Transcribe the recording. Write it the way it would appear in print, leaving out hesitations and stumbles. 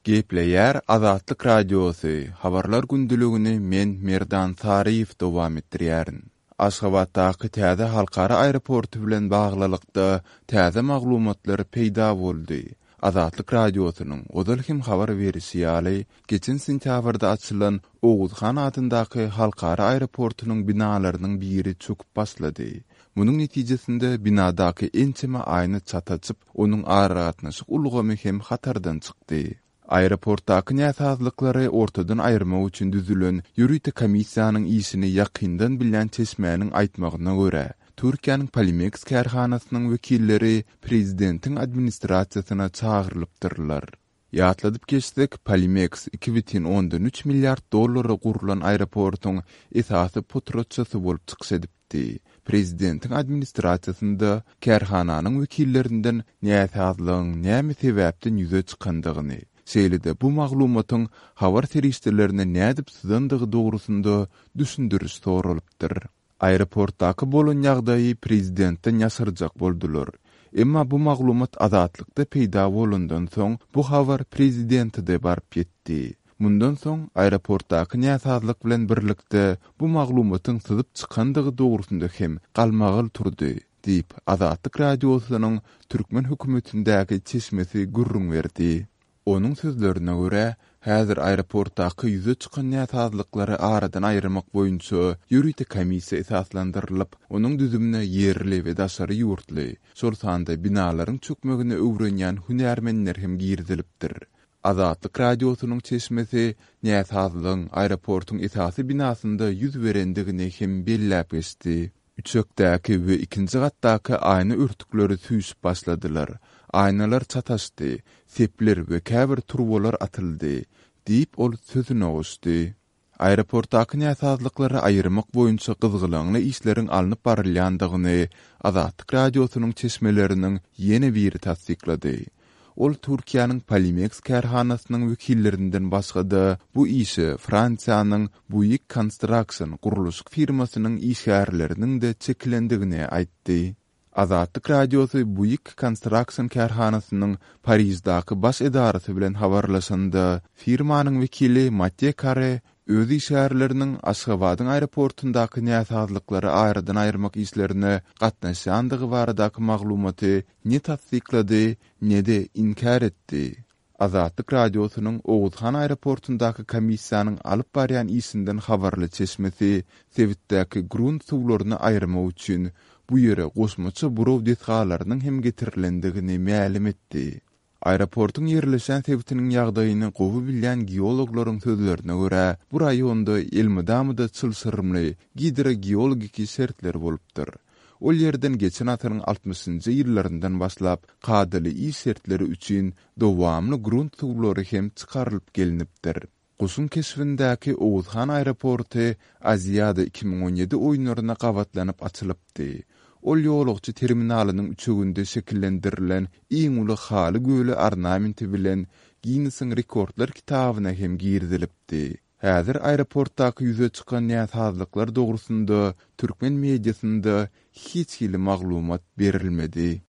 Gepleýär Azatlyk Radiosy, Habarlar gündeligini men, Merdan Saryýew dowam etdirýärin. Aşgabatdaky täze halkara aeroporty bilen baglylykda täze maglumatlar peýda boldy. Azatlyk Radiosynyň ozal hem habar berişi ýaly, geçen sentýabrda açylan Oguz han adyndaky halkara aeroportunyň binalarynyň biri çöküp başlady. Munuň netijesinde binadaky ençeme aýna çat açyp, onuň aragatnaşyk ulgamy hem hatardan çykdy. Aeroportdaky näsazlyklary ortadan aýyrmak üçin düzülen ýörite komissiýanyň işini ýakyndan bilýän çeşmäniň aýtmagyna görä, Türkiýäniň Polimeks kärhanasynyň wekilleri prezidentiň administrasiýasyna çagyrylypdyrlar. Ýatladyp geçsek, Polimeks 2,3 milliard dollara gurlan aeroportuň esasy potratçysy bolup çykyş edipdi. Prezidentiň administrasiýasynda kärhananyň wekillerinden näsazlygyň näme sebäpden ýüze çykandygyny, şeýle-de bu maglumatyň habar serişdelerine nädip syzandygy dogrusynda düşündiriş soralypdyr. Aeroportdaky bolan ýagdaýy prezidentden ýaşyrjak boldular. Emma bu maglumat Azatlykda peýda bolandan soň, bu habar prezidente-de baryp ýetdi. Mundan soň, aeroportdaky näsazlyk bilen birlikde bu maglumatyň syzyp çykandygy dogrusynda hem galmagal turdy, diýip, Azatlyk Radiosynyň türkmen hökümetindäki çeşmesi gürrüň berdi. Onuň sözlerine görä, häzir aeroportdaky ýüze çykan näsazlyklary aradan aýyrmak boýunça ýörite komissiýa esaslandyrylyp, onuň düzümine ýerli we daşary ýurtly, şol sanda binalaryň çökmegini öwrenýän hünärmenler hem girizilipdir. Azatlyk Radiosynyň çeşmesi näsazlygyň aeroportuň esasy binasynda ýüz berendigini hem belläp geçdi. Üçekdäki we ikinji gatdaky aýna örtükleri süýşüp başladylar. Aýnalar çataşdy, sepler we käbir turbalar atyldy, diýip, ol sözüne goşdy. Aeroportdaky näsazlyklary aýyrmak boýunça gyzgalaňly işleriň alnyp barylýandygyny Azatlyk Radiosynyň çeşmeleriniň ýene biri tassyklady. Ol Türkiýäniň Polimeks kärhanasynyň wekillerinden başga-da bu işe Fransiýanyň Buig Construction gurluşyk firmasynyň işgärleriniň-de çekilendigini aýtdy. Azatlyk Radiosy Buig Construction kärhanasynyň Pariždaky baş edarasy bilen habarlaşanda, firmanyň wekili Matýe Kare öz işgärleriniň Aşgabadyň aeroportundaky näsazlyklary aradan aýyrmak işlerine gatnaşýandygy baradaky maglumaty ne tassyklady, ne-de inkär etdi. Azatlyk Radiosynyň Oguzhan aeroportundaky komissiýanyň alyp barýan işinden habarly çeşmesi sebitdäki grunt suwlaryny aýyrmak üçin bu ýere goşmaça buraw desgalarynyň hem getirilendigini mälim etdi. Aeroportuň ýerleşýän sebitiniň ýagdaýyny gowy bilýän geologlaryň sözlerine görä, bu raýonda elmydama-da çylşyrymly gidrogeologiki şertler bolupdyr. Ol ýerden geçen asyryň altmyşynjy ýyllaryndan başlap kadaly iş şertleri üçin dowamly grunt suwlary hem çykarylyp gelnipdir. Guşuň keşbindäki Oguzhan aeroporty Aziada 2017 oýunlaryna gabatlanyp açylypdy. Ol ýolagçy terminalynyň üçeginde şekillendirilen iň uly haly göli ornamenti bilen Ginnesiň rekordlar kitabyna hem girizilipdi. Häzir aeroportdaky ýüze çykan näsazlyklar dogrusynda türkmen mediasynda hiç hili maglumat berilmedi.